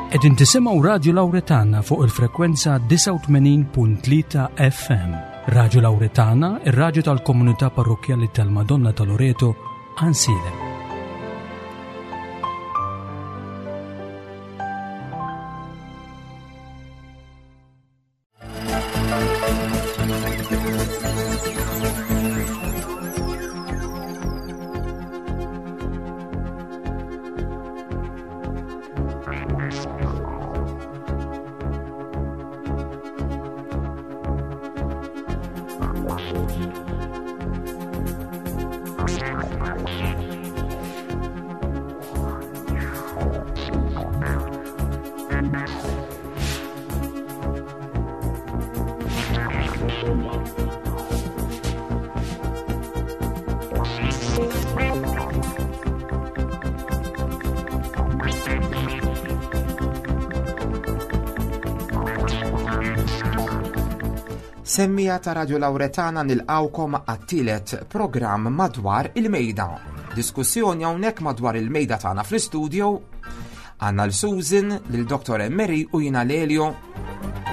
Qegħdin tisimgħu Radju Lawretana fuq il-frekwenza 89.3 FM. Radju Lawretana, ir-radju tal-komunità parrokkjali tal-Madonna ta' Loreto, Ansilem. Semmija ta' Radio Lauretana nilqawkom għat-tielet programm madwar il-mejda. Diskussjoni hawnhekk madwar il-mejda tagħna fl-istudio għandna l-Susan, lil Dr. Emery u jiena Lelio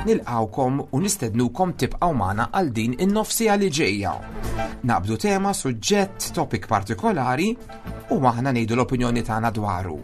Nilqgħukom u nistednukom tibqgħu magħna għal din in-nofsija li ġejja. Naqbdu tema, suġġett, topic partikolari u aħna ngħidu l-opinjoni tagħna dwaru.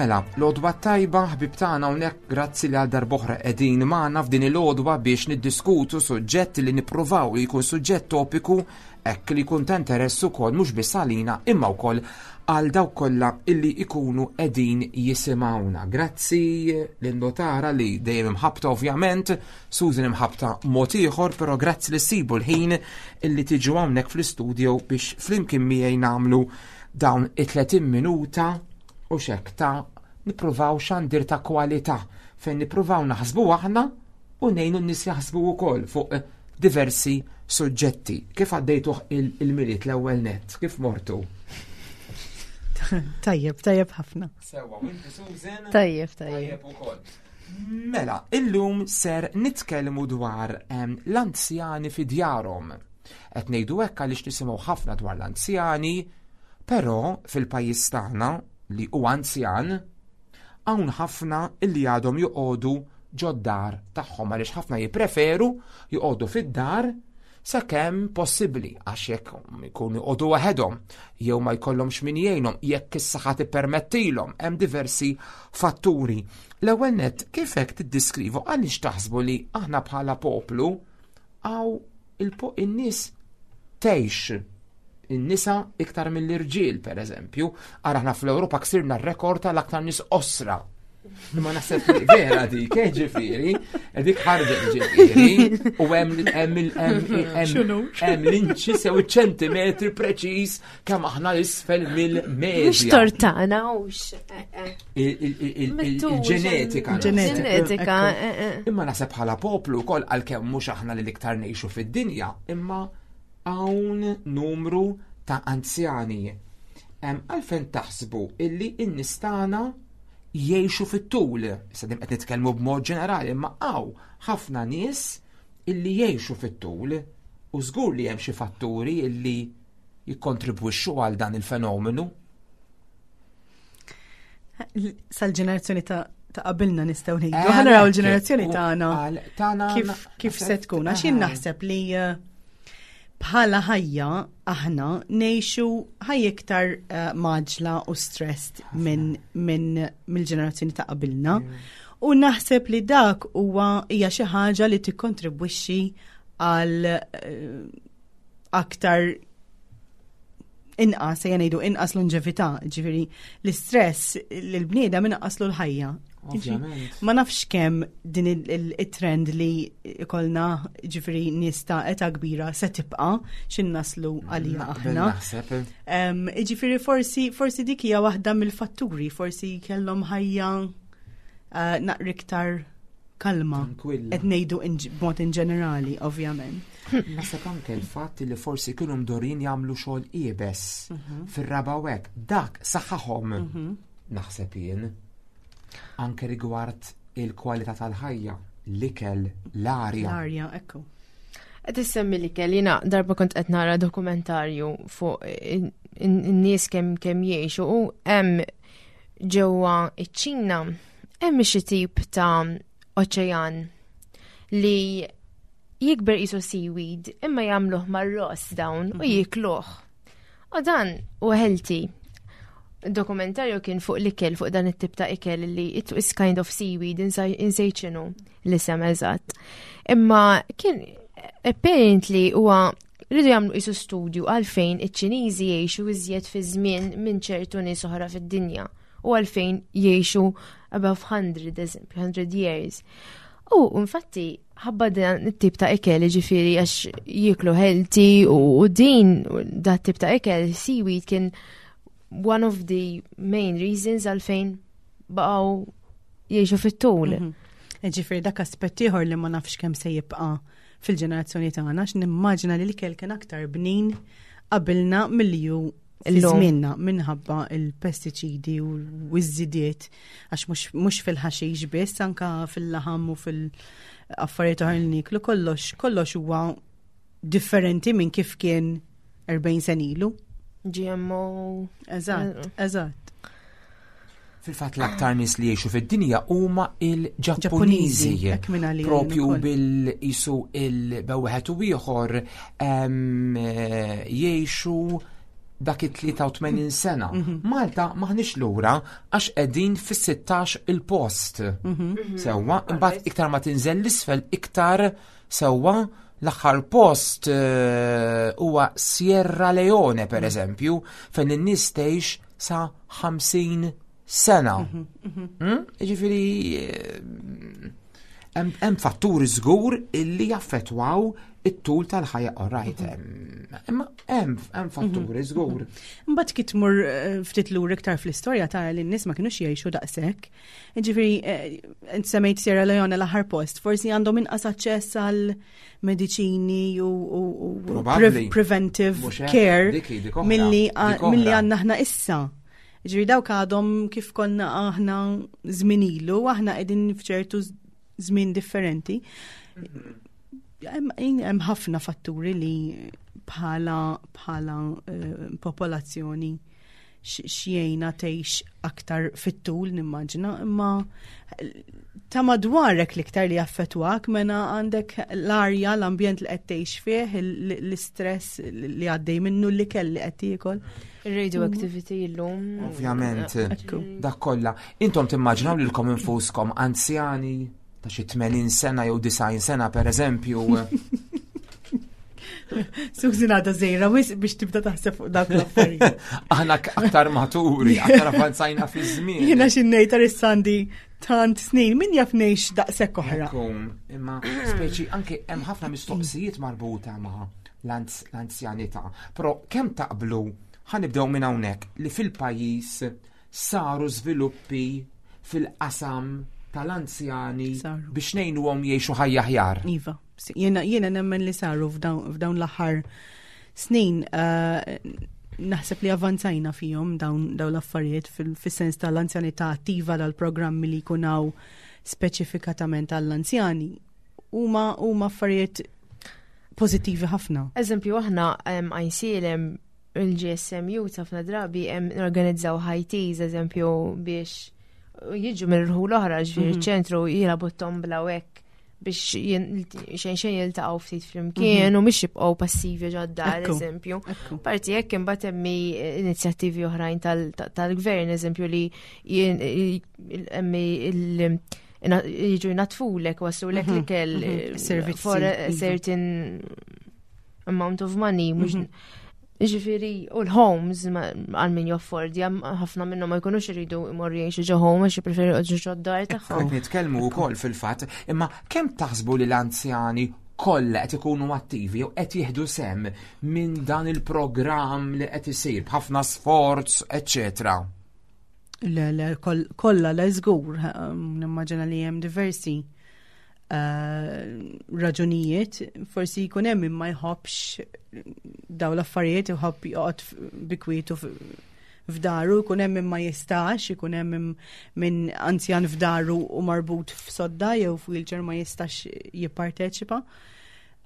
Mela, l-għodwa tajba ħbib tagħna hawnhekk grazzi li għal darb'oħra qegħdin magħna f'din il-għodwa biex niddiskutu suġġett li nippruvaw li jkun suġġett topiku hekk li jkun ta' interess ukoll mhux biss għalina imma wkoll għal dawk kollha illi ikunu qegħdin jisimgħuna. Grazzi lin-notara li dejjem imħabta ovvjament, Susan imħabta mod ieħor, però grazzi li ssibu l-ħin illi tiġu hawnhekk fl-istudio biex flimkien miegħi nagħmlu dawn it-30 minuta u xek ta' nippruvaw xandir ta' kwalità fejn nippruvaw naħsbu aħna u ngħinu n-nies jaħsbu wkoll fuq diversi suġġetti. Kif għaddejtuh il-miliet l-ewwel nett? Kif mortu? Tajjeb, tajjeb ħafna. Sewa, inti Susan? Tajjeb, tajjeb. ukoll. Mela, illum ser nitkellmu dwar ehm, l-anzjani fi djarhom. Qed ngħidu hekk għaliex nisimgħu ħafna dwar l-anzjani, Però fil-pajjiż tagħna li hu anzjan, hawn ħafna illi għadhom joqogħdu ġod-dar tagħhom għaliex ħafna jippreferu joqogħdu fid-dar sakemm possibbli għax jekk ikunu joqogħdu waħedhom jew ma jkollhomx min jgħinhom jekk is-saħħa tippermettilhom hemm diversi fatturi. L-ewwel nett kif hekk tiddiskrivu għaliex taħsbu li aħna bħala poplu għaw il-nies tgħix in-nisa iktar mill-irġiel, per eżempju. Ara aħna fl-Ewropa ksirna r-rekord tal-aktar nies osra. Imma naħseb li vera dik, eh, ġifieri, eh, dik ħarġet ġifieri, u hemm hemm hemm l-inċi sew iċ-ċentimetri preċiż kemm aħna l-isfel mill-medja. Mhux tortana hux. Eh, Il-ġenetika. Ġenetika. Imma naħseb bħala poplu wkoll għalkemm mhux aħna li l-iktar ngħixu fid-dinja, imma Hawn numru ta' anzjani. Għalfejn taħsbu illi n-nies tagħna jgħixu fit-tul? Issa din qed nitkellmu b'mod ġenerali, imma hawn ħafna nies illi jgħixu fit-tul u żgur li hemm xi fatturi illi jikkontribwixxu għal dan il-fenomenu. Sal-ġenerazzjoni ta' ta' qabilna nistgħu ngħidu. Eh, Ħa naraw il-ġenerazzjoni tagħna kif kif se tkun għax jien eh. naħseb li eh, bħala ħajja aħna ngħixu ħajja iktar maġla u stressed minn min mill-ġenerazzjoni ta' qabilna. Mm. U naħseb li dak huwa hija xi ħaġa li tikkontribwixxi għal aktar inqas, ejja ngħidu inqas longevità, ġifieri l-istress l-bniedem inqaslu l-ħajja. Ma nafx kemm din il-trend li ikolna ġifieri nies ta' età kbira se tibqa' x'in naslu għalija aħna. Eh. Ġifieri forsi forsi dik hija waħda mill-fatturi, forsi kellhom ħajja eh, naqra iktar kalma. Qed ngħidu b'mod in ġenerali, ovvjament. Naħseb anke l-fatt li forsi kienu mdorin jagħmlu xogħol iebes mhm. fir-raba' u hekk, dak saħħahom mhm. naħseb jien. Anke rigward il-kwalità tal-ħajja, l-ikel, l-arja. L-arja, ekku. Qed issemmi l-ikel, jiena darba kont qed nara dokumentarju fuq in-nies kemm kemm jgħixu u hemm ġewwa iċ-Ċina hemm xi tip ta' oċean li jikber qisu seaweed imma jagħmluh mar-ross dawn u mhm. jikluh. U dan u healthy. Dokumentarju kien fuq l-ikel, fuq dan it-tip ta' ikel li it is kind of seaweed, insejt x'inhu l-isem eżatt. Imma kien apparently huwa rridu jagħmlu isu studju għalfejn iċ-Ċiniżi jgħixu iżjed fi żmien minn ċertu nies oħra fid-dinja u għalfejn jgħixu above 100 eżempju, 100 years. U infatti ħabba dan it-tip ta' ikel ġifiri għax jiklu healthy u din da tip ta' ikel seaweed kien one of the main reasons għalfejn baqgħu jgħixu fit-tul. Mhm. Ġifiri dak aspett ieħor li ma nafx kemm se jibqa' fil-ġenerazzjoni tagħna għax nimmaġina li l-ikel kien aktar bnin qabilna milli ju Żmienna minħabba il-pestiċidi u l-żidiet għax mhux fil-ħaxix biss anka fil-laħam u fil-affarijiet oħra li niklu kollox kollox huwa differenti minn kif kien 40 sen ilu. GMO. Eżatt, eżatt. Fil-fatt l-aktar nies li jgħixu fid-dinja huma il-Ġappuniżi. Propju bil-isu il-bewħet u ieħor jgħixu dak it-83 sena. Mhm. Malta maħniex lura għax qegħdin fis-16 il-post. Mhm. Mhm. Sewwa, imbagħad iktar ma tinżel l-isfel iktar sewwa l-aħħar post eh, huwa Sierra Leone per eżempju, fejn in-nies tgħix sa 50 sena. Mhm, mhm. Hmm? Ġifieri eh, hemm fatturi żgur illi jaffettwaw it-tul tal-ħajja orajt. Mhm. Imma hemm fatturi żgur. Mbagħad kif tmur eh, ftit lur iktar fl-istorja tara li n-nies ma kinux jgħixu daqshekk. Ġifieri eh, semmejt Sierra Leone l-aħħar post, forsi għandhom inqas aċċess għal mediċini u preventive care milli għandna aħna issa. Ġifieri dawk għadhom kif konna aħna żmien ilu, aħna qegħdin f'ċertu żmien differenti. Hemm ħafna fatturi li bħala bħala eh, popolazzjoni xjejna tgħix aktar fit-tul nimmaġina, imma ta' madwarek l-iktar li jaffetwak mena għandek l-arja, l-ambjent li qed tgħix fih, l-istress li għaddej minnu li kelli qed tiekol. Ir-radioactivity llum. Ovvjament, dak kollha. Intom timmaġinaw lilkom infuskom anzjani ta' xi 80 sena jew 90 sena per eżempju. Sużin għadha żejra wis biex tibda taħseb fuq dak l-affarijiet. Aħna aktar maturi, aktar avanzajna fi żmien. Jiena xi ngħid Arissandi tant snin, min jaf ngħix daqshekk oħra. Imma speċi anke hemm ħafna mistoqsijiet marbuta ma' l-anzjanità. Però kemm taqblu ħanibdew minn hawnhekk li fil-pajjiż saru żviluppi fil-qasam tal-anzjani biex ngħinuhom jgħixu ħajja aħjar. Iva, jiena jiena nemmen li saru f'dawn l-aħħar snin eh, naħseb li avanzajna fihom dawn l-affarijiet fis-sens tal-anzjanità attiva dal-programmi li jkun hawn speċifikatament għall-anzjani huma huma affarijiet pożittivi ħafna. Eżempju, aħna għajnsielem il-GSMU ħafna drabi norganizzaw high teas, eżempju, biex jiġu minn rħul oħra ġifieri mhm. ċentru jilagħbu tombla u hekk biex xejn xejn jiltaqgħu ftit flimkien mhm. u mhix jibqgħu passivi ġod-dar, eżempju. Parti hekk imbagħad hemm inizjattivi oħrajn tal-gvern, eżempju li hemm jiġu jnatfulek, waslulek mhm, l-ikel eh, for a iva. certain amount of money, mhux mhm. Ġifiri, u l-homes għal min joffordja, ħafna minnhom ma jkunux iridu imorru jgħixu ġo home għax jippreferu jqogħdu ġo d-dar tagħhom. Qed nitkellmu wkoll fil-fatt, imma kemm taħsbu li l-anzjani kollha qed ikunu attivi jew qed jieħdu sem minn dan il-programm li qed isir b'ħafna sforz, eċċetera? Le, le, kollha le żgur, nimmaġina li hemm diversi eh, raġunijiet, forsi jkun hemm imma jħobbx daw l-affarijiet, jħobb joqgħod bikwietu. f'daru, jkun hemm min ma jistax, ikun hemm min anzjan f'daru u marbut f'sodda jew f'wheelchair ma jistax jipparteċipa.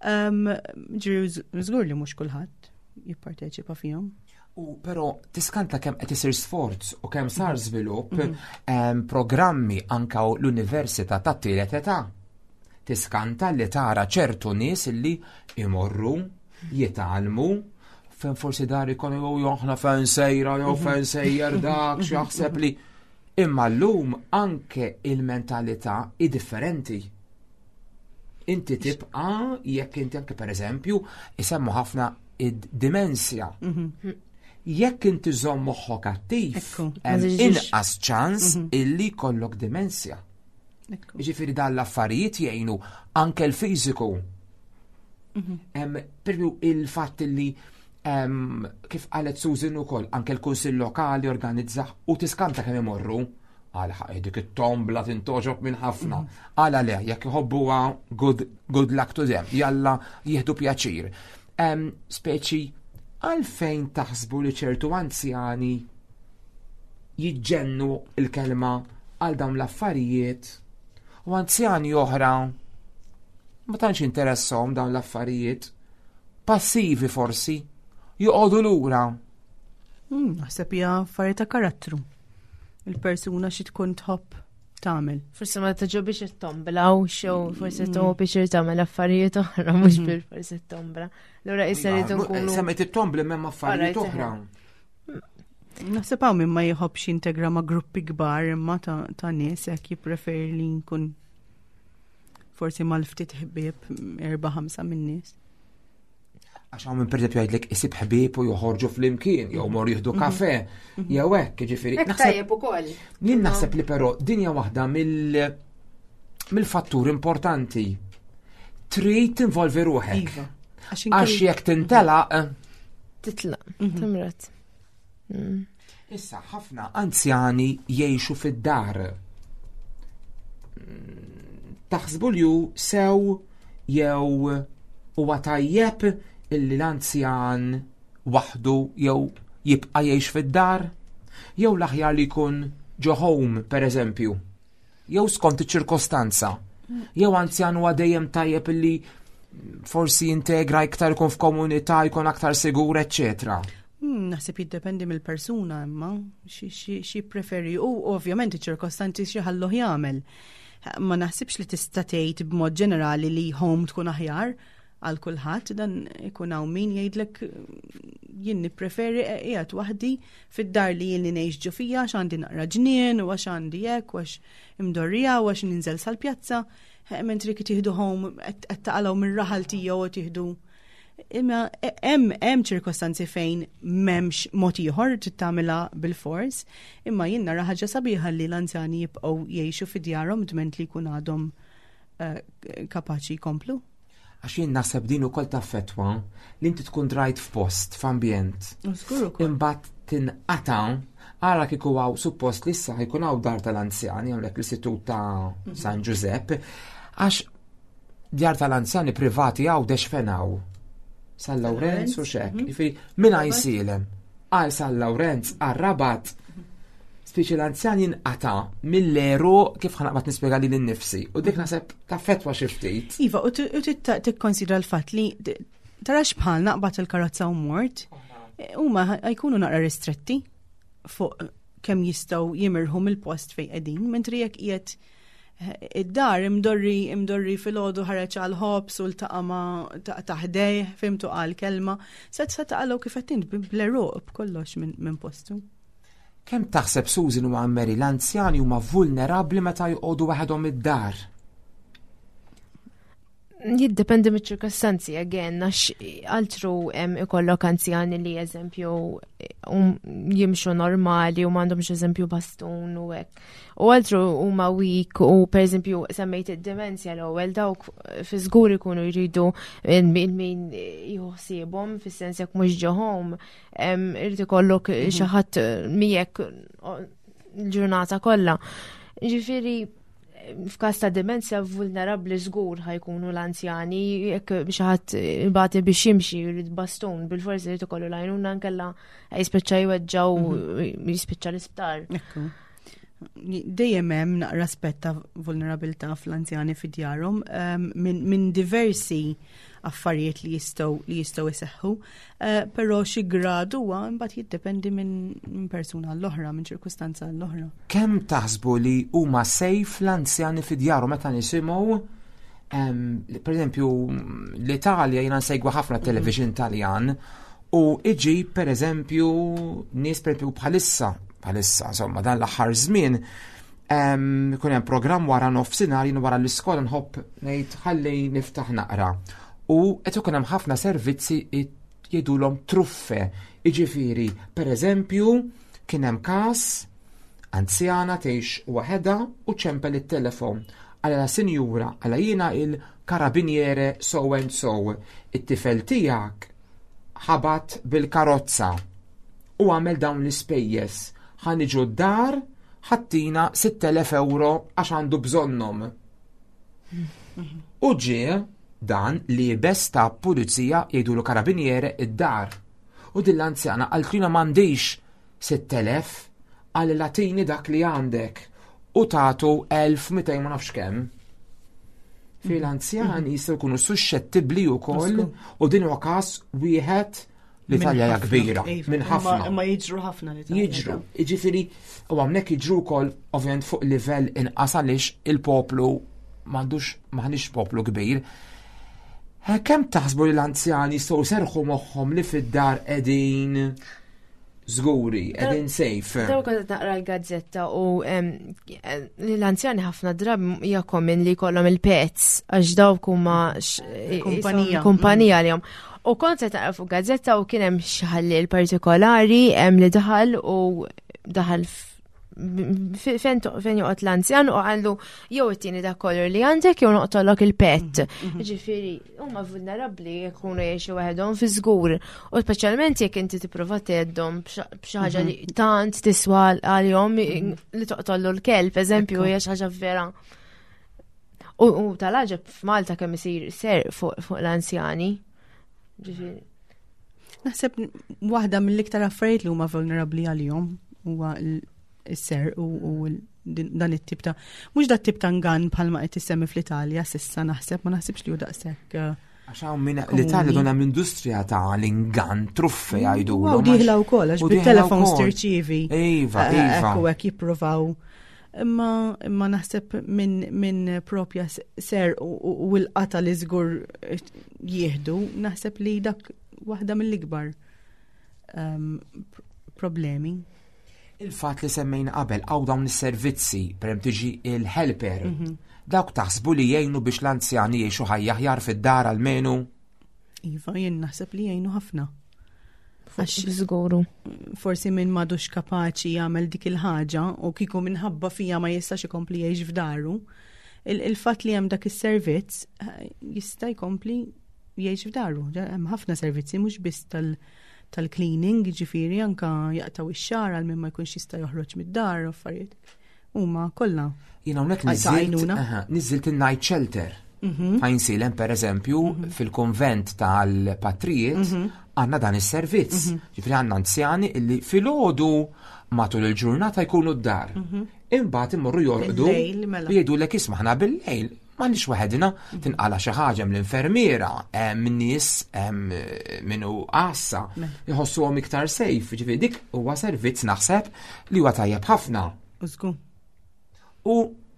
Ġifieri żgur li mhux kulħadd jipparteċipa fihom. U però tiskanta kemm qed isir sforz u kemm sar mhm. żvilupp mm -hmm. programmi anka l-Università tat-tielet età. Tiskanta li tara ċertu nies li imorru, jitgħallmu, fejn forsi dar ikonu jew aħna fejn sejra jew mhm. fejn sejjer dak x'jaħseb li imma llum anke il-mentalità hi differenti. Inti tibqa jekk inti anke pereżempju isemmu ħafna id-dimensja. Mhm. Jekk inti żomm moħħok attiv, inqas ċans mhm. illi kollok dimensja. Ġifieri dan l-affarijiet jgħinu anke l-fiżiku. Mhm. Perju il-fatt li kif qalet Susan ukoll anke l-Kunsill Lokali organizza u tiskanta kemm imorru għal ħaq dik it-tombla tintoġob minn ħafna. Mhm. Għala le, jekk iħobbuha good, good luck to them, jalla jieħdu pjaċir. Speċi, għalfejn taħsbu li ċertu anzjani jiġġennu il-kelma għal dawn l-affarijiet u anzjani oħra ma tantx interessahom dawn l-affarijiet, passivi forsi, joqogħdu lura. Hmm, naħseb hija affarijiet ta' karattru. Il-persuna xi tkun tħobb tagħmel. Forsi ma tġobix it-tombla u xew forsi mm. tħobb biex tagħmel affarijiet oħra mhux mm. bil forsi t-tombla. Lura issa rridu nkunu. Semmet it-tombla m'hemm affarijiet oħra. Naħseb hawn min ma jħobbx jintegra ma' gruppi kbar imma ta' nies hekk jippreferi li nkun forsi mal-ftit ħbieb erba' ħamsa minn nies. Għax hawn min pereżempju jgħidlek isib ħbieb u joħorġu flimkien jew mor jieħdu mhm. kafe mhm. jew hekk, jiġifieri. Hekk tajjeb ukoll. Jien naħseb li però dinja waħda mill mill-fattur importanti. Trid tinvolvi ruħek. Iva. Għax jekk tintelaq. Titlaq, mhm. timret. Mm. Issa ħafna anzjani jgħixu fid-dar. Mm, taħsbu li hu sew jew huwa tajjeb illi l-anzjan waħdu jew jibqa' jgħix fid-dar? Jew l-aħjar li jkun ġo home, per eżempju? Jew skont iċ-ċirkostanza. Jew anzjan huwa dejjem tajjeb illi forsi jintegra iktar ikun f'komunità, jkun aktar sigur, eċċetera. Hmm, naħseb jiddependi mill-persuna imma xi preferi u ovvjament iċ-ċirkostanzi xi ħalluh jagħmel. Ma naħsibx li tista' tgħid b'mod ġenerali li home tkun aħjar għal kulħadd dan ikun hawn min jgħidlek jien nippreferi qiegħed waħdi fid-dar li jien li ngħix ġo fija għax għandi naqra ġnien u għax għandi hekk u għax imdorrija u għax ninżel sal-pjazza, mentri kif tieħdu home qed taqalgħu mir-raħal tiegħu u tieħdu Imma hemm hemm ċirkostanzi fejn m'hemmx mod ieħor trid tagħmilha bil-fors, imma jien nara ħaġa sabiħa li l-anzjani jibqgħu jgħixu fi djarhom dment li jkun għadhom eh, kapaċi jkomplu. Għax jien naħseb din ukoll taffettwa li inti tkun drajt f'post, f'ambjent. Imbagħad tinqata' ara kieku hawn suppost li issa jkun hawn dar tal-anzjani hawnhekk l-istitut ta' mhm. San Ġużepp, għax djar tal-anzjani privati hawn dex fenaw. San Lawrenz u xek. Mhm. Jiġifieri minn għajsilem għal San Lawrenz għal Rabat Spiċi l-anzjan jinqata mill-eru kif ħanaqbad nispjega li l-nifsi. U dik naħseb taffetwa xi ftit. Iva, u tikkonsidra l-fatt li tarax bħal naqbad il-karozza u mort, huma jkunu naqra ristretti fuq kemm jistgħu jimirħu mill-post fejn qegħdin, mentri jekk qiegħed eh, id-dar imdorri imdorri filgħodu ħareġ għal ħobs u ltaqa' ma' taħdej, fimtu qal kelma, se se taqalgħu kif qed int bl-eruq b'kollox minn postu. Kemm taħseb Susan u Anne-Marie l-anzjani huma vulnerabbli meta joqogħdu waħedhom id-dar? Jiddependi miċ-ċirkostanzi, again, għax altru ikollok anzjani li eżempju um, jimxu normali u m'għandhomx eżempju bastun u hekk. U altru huma weak u per eżempju semmejt id-demenzja l-ewwel dawk fi żgur ikunu jridu min jħossibhom fis-sens jekk mhux ġo home irid ikollok mhm. xi ħadd miegħek l-ġurnata kollha. Ġifieri. F'każ ta' demenzja vulnerabbli żgur ħajkunu l-anzjani, jekk xi ħadd ibati biex jimxi jrid bastun, bil-forsi jrid ikollu l-għajnuna nkella jispiċċa jweġġaw mhm. jispiċċa l-isptar. Dejjem hemm naqra aspett ta' vulnerabilità fl-anzjani fi djarhom ehm, minn diversi affarijiet li jistgħu li jistgħu jseħħu, eh, però xi grad huwa mbagħad jiddependi minn persuna għall-oħra, minn ċirkustanza għall-oħra. Kemm taħsbu li huma sejf l-anzjani fi djarhom meta nisimgħu per eżempju l-Italja jiena nsegwa ħafna television Taljan u iġi per eżempju nies per eżempju bħalissa bħalissa insomma dan l-aħħar żmien Ikun hemm programm wara nofsinhar jien wara l-iskola nħobb ngħid ħalli niftaħ naqra. U qed ikun hemm ħafna servizzi jgħidulhom truffe. Jiġifieri, pereżempju, kien hemm każ anzjana tgħix waħedha u ċempel it-telefon. Għala sinjura, għala jiena il-karabiniere so and so, it-tifel tiegħek ħabat bil-karozza u għamel dawn l-ispejjeż. Ħa niġu d-dar ħattina 6,000 euro għax għandu bżonnhom. U ġie dan liebes ta' pulizija jgħidulu karabiniere id-dar. U din l-anzjana qaltlina m'għandix 6,000 għal latini dak li għandek u tatu 1200 ma nafx kemm. Fil anzjani jistgħu jkunu suscettibbli wkoll u din huwa każ wieħed L-Italja hija kbira, iva, minn ħafna. Imma jiġru ħafna l-Italja. Jiġru, jiġifieri, u hawnhekk jiġru wkoll ovvjament fuq livell inqas għaliex il-poplu m'għandux m'aħniex poplu kbir. Eh, kemm taħsbu li l-anzjani jistgħu serħu moħħhom li fid-dar qegħdin żguri, qegħdin safe. Daw kont naqra l-gazzetta u l-anzjani ħafna drab hija common li jkollhom il-pets għax dawk huma kumpanija kumpanija għalihom. U kont qed naqra fuq gazzetta u kien hemm xi ħalliel partikolari hemm li daħal u daħal fejn joqgħod l-anzjan u għallu jew it-tieni dak kollu li għandek jew noqtolok il-pet. Mhm, mhm. Ġifieri, huma vulnerabbli jkunu jgħixu waħedhom fi żgur. U speċjalment jekk inti tipprova tgħeddhom b'xi ħaġa li mhm. tant tiswa għalihom li toqtollu l-kelb, eżempju, hija xi ħaġa vera. U tal-għaġeb f'Malta kemm isir ser fuq l-anzjani. Ġifieri. Naħseb waħda mill-iktar affarijiet li huma vulnerabbli għalihom huwa s-ser u dan it-tip ta' mhux dat tip ta' ngan bħalma qed issemmi fl-Italja sissa naħseb ma naħsibx li hu daqshekk. Eh, għax hawn minn l-Italja donna industrija ta' l-ingan truffe jgħidu. U diħla wkoll għax bit-telefon tirċievi. Iva, eh, iva. Ekku hekk jippruvaw Imma imma naħseb minn min propja ser u l-qata li żgur jieħdu, naħseb li dak waħda mill-ikbar um, problemi. Il-fat li semmejna qabel għaw dawn is-servizzi, per tiġi il-helper, mm -hmm. dawk taħsbu li jgħinu biex l-anzjani jgħixu ħajja aħjar fid-dar almenu? Iva, jien naħseb li jgħinu ħafna. Għax żguru. Forsi minn madux kapaċi jagħmel dik il-ħaġa u kieku minħabba fija ma jistax ikompli jgħix f'daru, il-fatt li hemm dak is-servizz eh, jista' jkompli jgħix f'daru. Hemm ħafna servizzi mhux biss tal- tal-cleaning, ġifiri anka jaqtaw ix-xar għal min ma jkunx jista' joħroġ mid-dar u affarijiet. Huma kollha. Jien hawnhekk niżilt in-night shelter. Mhm. Fajn silem per eżempju mhm. fil-konvent tal-patrijiet mhm. għandna dan is-servizz. Ġifieri għandna anzjani illi filgħodu matul il-ġurnata jkunu d-dar. Imbagħad imorru jorqdu mela. u jgħidulek isma' ħna bil-lejl m'għandniex waħedna tinqala xi ħaġa mill-infermiera, hemm nies hemm min hu għassa, mela. jħossuhom iktar safe, ġifieri dik huwa servizz naħseb li huwa tajjeb ħafna. Użgu. U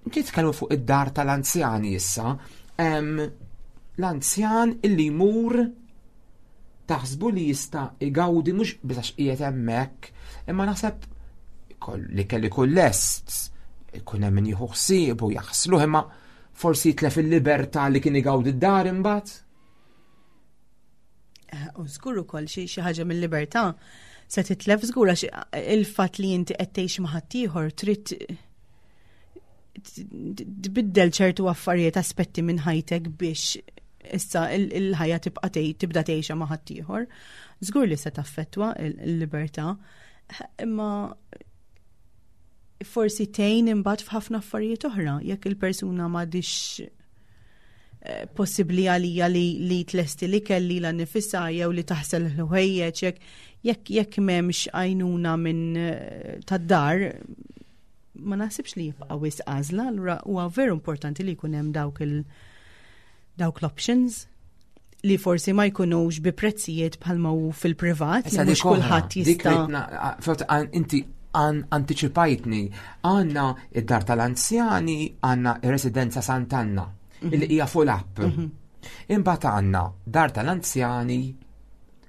nitkellmu fuq id-dar tal-anzjani issa, l-anzjan illi jmur taħsbu li jista' igawdi mhux biss għax qiegħed hemmhekk, imma naħseb li kelli kull lest, ikun hemm min jieħu ħsieb u jaħsluh imma forsi jitlef il-libertà li kien igawdi d-dar imbagħad. Eh, u żgur ukoll xi ħaġa mill-libertà se titlef żgur għax il-fatt li inti qed tgħix ma' ħaddieħor trid tbiddel ċertu affarijiet aspetti minn ħajtek biex issa il-ħajja tibqa' tibda tgħixha ma' ħaddieħor. Żgur li se taffettwa l-libertà, imma forsi tgħin imbagħad f'ħafna affarijiet oħra jekk il-persuna m'għadix eh, possibbli għalija li, li tlesti li kelli la nifissa jew li taħsel l-ħwejjeġ jekk jekk jekk m'hemmx għajnuna minn eh, tad-dar ma naħsibx li jibqa' wisq għażla, allura huwa veru importanti li jkun hemm dawk il dawk l-options li forsi ma jkunux bi prezzijiet bħalma hu fil-privat, li mhux kulħadd jista'. Inti anticipajtni, għandna id-dar tal-anzjani, għandna ir-residenza Sant'Anna, mhm. illi hija fuq l-app. Mhm. Imbagħad għandna dar tal-anzjani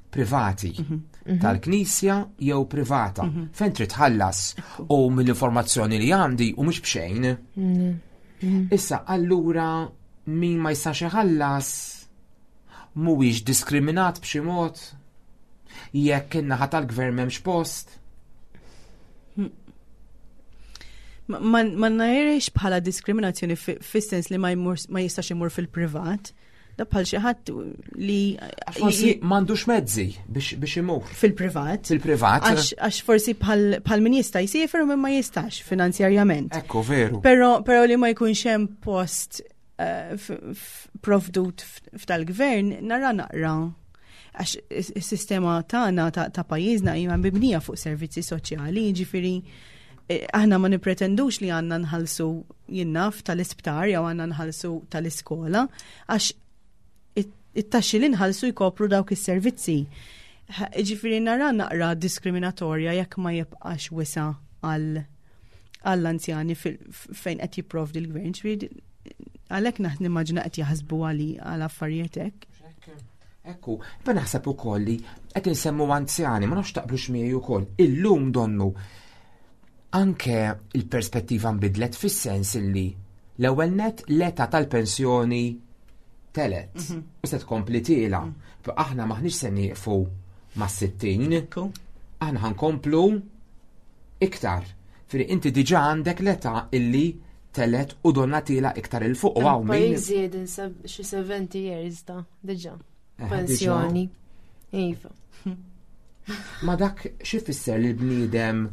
privati mhm. Mhm. tal-knisja jew privata mhm. fejn trid tħallas u mill-informazzjoni li għandi u mhux b'xejn. Issa allura min ma jistax iħallas mhuwiex diskriminat b'xi mod jekk in-naħa tal-gvern m'hemmx post. Ma najrix bħala diskriminazzjoni fis-sens li ma jistax imur fil-privat. Da bħal xi ħadd li forsi m'għandux mezzi biex imur. Fil-privat. Fil-privat. Għax forsi bħal min jista' jsiefer u min ma jistax finanzjarjament. Ekku veru. Però però li ma jkunx hemm post eh, provdut f'tal-gvern nara naqra għax is-sistema tagħna ta' pajjiżna hija mibnija fuq servizzi soċjali, jiġifieri eh, aħna ma nipretendux li għandna nħallsu jinnaf tal-isptar jew għandna nħallsu tal-iskola għax it-taxxi li nħallsu jkopru dawk is-servizzi. Ġifieri nara naqra diskriminatorja jekk ma jibqax wisa għal għall-anzjani fejn qed jipprovdi l-gvern. Ġifieri għalhekk naħ nimmaġina qed jaħsbu għali għal affarijiet hekk. Ekku, ma naħseb ukoll li qed insemmu anzjani, ma nafx taqblux miegħi ukoll. Illum donnu anke il-perspettiva nbidlet fis-sens illi l-ewwel net l-età tal-pensjoni telet. Mhm. U se tkompli tiela. Mhm. Aħna maħniex se nieqfu ma' 60. Aħna ħankomplu iktar. Firi inti diġà għandek l-età illi telet u donna tila iktar il fuq u għaw min. Pajjiżi xi 70 years ta' diġà. Eh, Pensjoni. Iva. Ma dak xi fisser li l-bniedem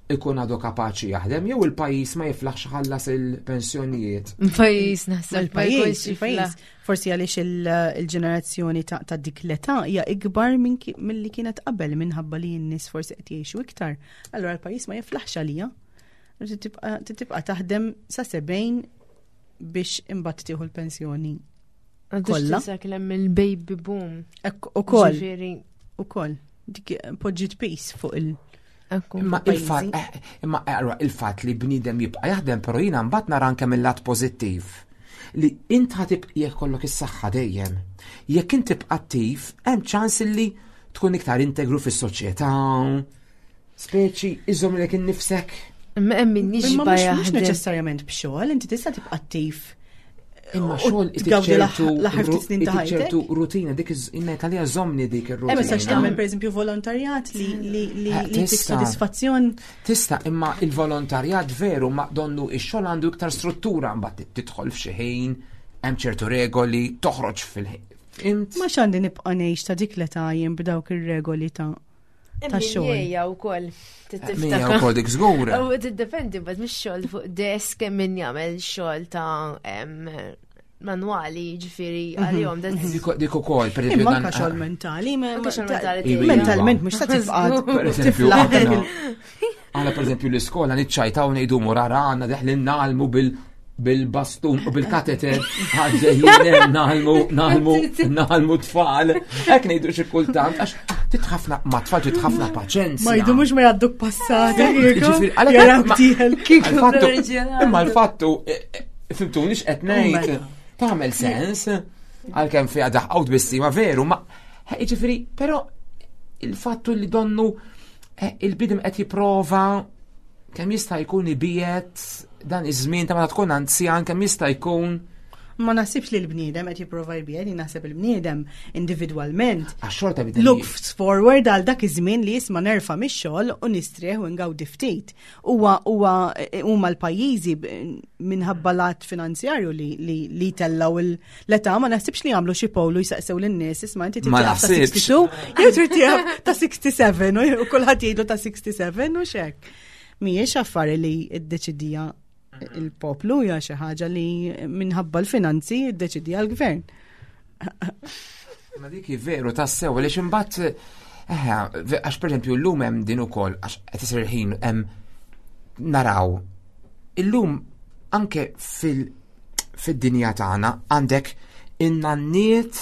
ikun għadu kapaċi jaħdem jew il-pajjiż ma jiflaħx ħallas il-pensjonijiet. Pajjiż naħseb il-pajjiż, il-pajjiż. Forsi għaliex il-ġenerazzjoni ta' dik l-età hija ikbar milli kienet qabel minħabba li n-nies forsi qed jgħixu iktar. Allura l-pajjiż ma jiflaħx għalija. Tibqa' taħdem sa 70 biex imbagħad tieħu l-pensjoni. Kollha. Kellem il-baby boom. Ukoll. Ukoll. Dik poġġiet peace fuq il- Imma il-fatt eh, imma eh, il-fatt li bniedem jibqa' jaħdem però jiena mbagħad nara anke mill-lat pożittiv li int ħatib jekk kollok is-saħħa dejjem. Jekk int tibqa' attiv, hemm ċans li tkun iktar integru fis-soċjetà, Speċi, iżomm lek innifsek. Imma hemm min jixba' Mhux neċessarjament b'xogħol, inti tista' tibqa' attiv. Imma xogħol tgawdi l-aħħar ftit snin ta' ħajtek. ċertu rutina dik inna li żommni dik ir-rutina. Hemm tistax tagħmel pereżempju volontarjat li li li eh, tik sodisfazzjon. Tista' imma il-volontarjat veru ma donnu ix-xogħol għandu iktar struttura mbagħad tidħol f'xi ħin, hemm ċertu regoli, toħroġ fil-ħin. Ma x'għandi nibqa' ngħix ta' dik l-età jien b'dawk ir-regoli ta' ta' xogħol. Ejja wkoll. Mija wkoll dik żgur. U tiddependi bad mhux xogħol fuq desk min jagħmel xogħol ta' manwali, ġifieri mhm. għalihom. Dik ukoll, per eżempju. Imma xogħol mentali, mentalment mhux ta' tibqa' Per eżempju, għala per eżempju l-iskola niċċajtaw ngħidu murara għandna deħlin nagħlmu bil bil-bastun u bil-kateter għaddejjin naħlmu, naħlmu, naħlmu tfal. Hekk ngħidu xi kultant għax titħafna ma tfal titħafna paċenzja. Ma jdu mhux ma jgħadduk passati. Imma l-fattu, e, e, fimtuni x'qed ngħid, tagħmel sens għalkemm fiha daħqaw tbissima veru, ma jiġifieri, però il-fattu li donnu e, il-bidem qed jipprova kemm jista' jkun ibiet dan iż-żmien ta' meta tkun anzjan kemm jista' jkun Ma naħsibx li l-bniedem qed jipprova jbiegħed, naħseb il-bniedem individwalment. Għax xorta bidem. Looks forward għal dak iż-żmien li jisma' nerfa' mix-xogħol u nistrieħ u ngawdi ftit. Huwa huwa huma l-pajjiżi minħabba lat finanzjarju li li li tellaw l-età ma naħsibx li għamlu xi polu jsaqsew lin-nies isma' inti trid ta' 62 jew trid ta' 67 u kulħadd jgħidu ta' 67 u x'hekk. Mhijiex affari li ddeċidija il-poplu hija xi ħaġa li minħabba l-finanzi ddeċidija l-gvern. Ma dik veru tassew għaliex imbagħad eh, għax pereżempju llum hemm din ukoll għax qed isir ħin hemm naraw illum anke fil fid-dinja tagħna għandek in-nanniet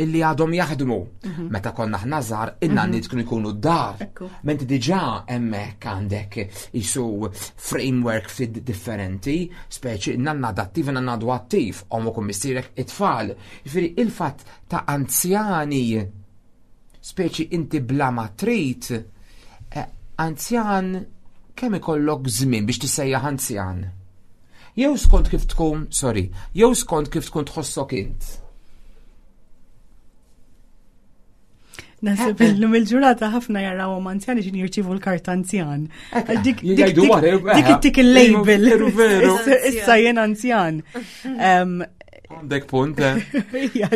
illi għadhom jaħdmu. Mhm. Meta konna aħna żgħar, in-nanniet mhm. kienu jkunu d-dar. Menti diġà hemmhekk għandek isu framework ftit differenti, speċi nanna adattiv nanna għadu attiv, omok u missierek it-tfal. Jiġifieri il-fatt ta' anzjani speċi inti bla ma trid, eh, anzjan kemm ikollok żmien biex tissejjaħ anzjan? Jew skont kif tkun, sorry, jew skont kif tkun tħossok int. Nasib eh, eh. illum il-ġurata ħafna jarawhom anzjani x'in jirċievu l-karta anzjan. Dik dik il-label. Issa jien anzjan. Għandek punt, eh? Ija,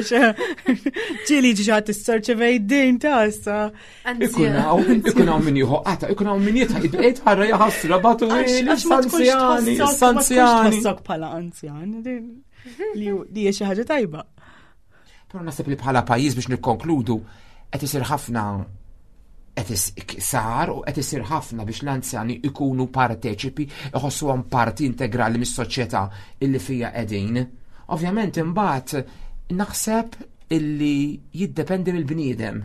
ġili ġiġa t-sorċevej din ta' issa. Ikun hawn, ikun hawn min jieħu qata, ikun hawn min jitħa, id ħarra jaħasra batu sanzjani, sanzjani. Tħossok bħala anzjan, li hija xi ħaġa tajba. Però naħseb li bħala pajjiż biex nikkonkludu qed isir ħafna qed sar u qed isir ħafna biex l-anzjani ikunu parteċipi, iħossuhom parti integrali mis-soċjetà illi fija qegħdin. Ovvjament imbagħad naħseb illi jiddependi mill-bniedem.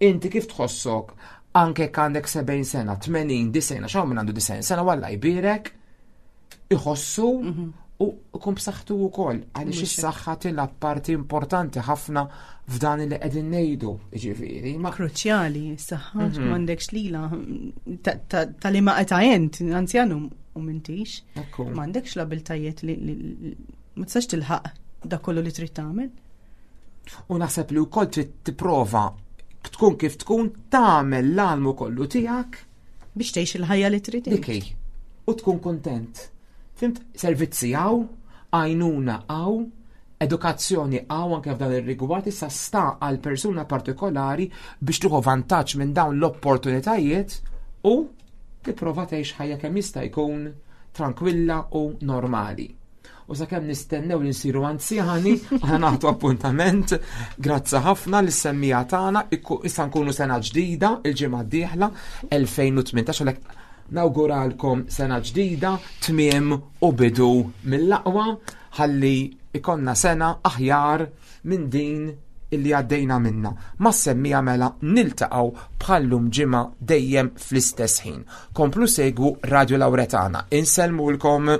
Inti kif tħossok anke jekk għandek 70 sena, 80, 90, għax hawn min għandu 90 sena walla jbierek iħossu mhm. u jkun b'saħħtu wkoll għaliex is-saħħa tilgħab parti importanti ħafna f'dan li qegħdin ngħidu, jiġifieri. Ma kruċjali s-saħħa mhm. m'għandekx lila tal-ima qed int anzjan u m'intix. M'għandekx l-abiltajiet li ma tistax tilħaq dak kollu li trid tagħmel. U naħseb li wkoll trid tipprova tkun kif tkun tagħmel l-almu kollu tiegħek biex tgħix il-ħajja li trid. Dik U tkun kuntent. Fimt servizzi hawn, għajnuna hawn, edukazzjoni hawn anke f'dan ir-rigward issa sta għal persuna partikolari biex tieħu vantaġġ minn dawn l-opportunitajiet u tipprova tgħix ħajja kemm jista' jkun tranquilla u normali. U sakemm nistennew li nsiru anzjani, aħna nagħtu appuntament. Grazzi ħafna lis semmija tagħna, issa nkunu sena ġdida il-ġimgħa d-dieħla 2018 għalhekk nawguralkom sena ġdida, tmiem u bidu mill-aqwa ħalli ikonna sena aħjar minn din illi għaddejna minna. Ma semmija mela niltaqgħu bħallum ġimgħa dejjem fl-istess ħin. Komplu segwu Radio Lauretana. Insellmulkom.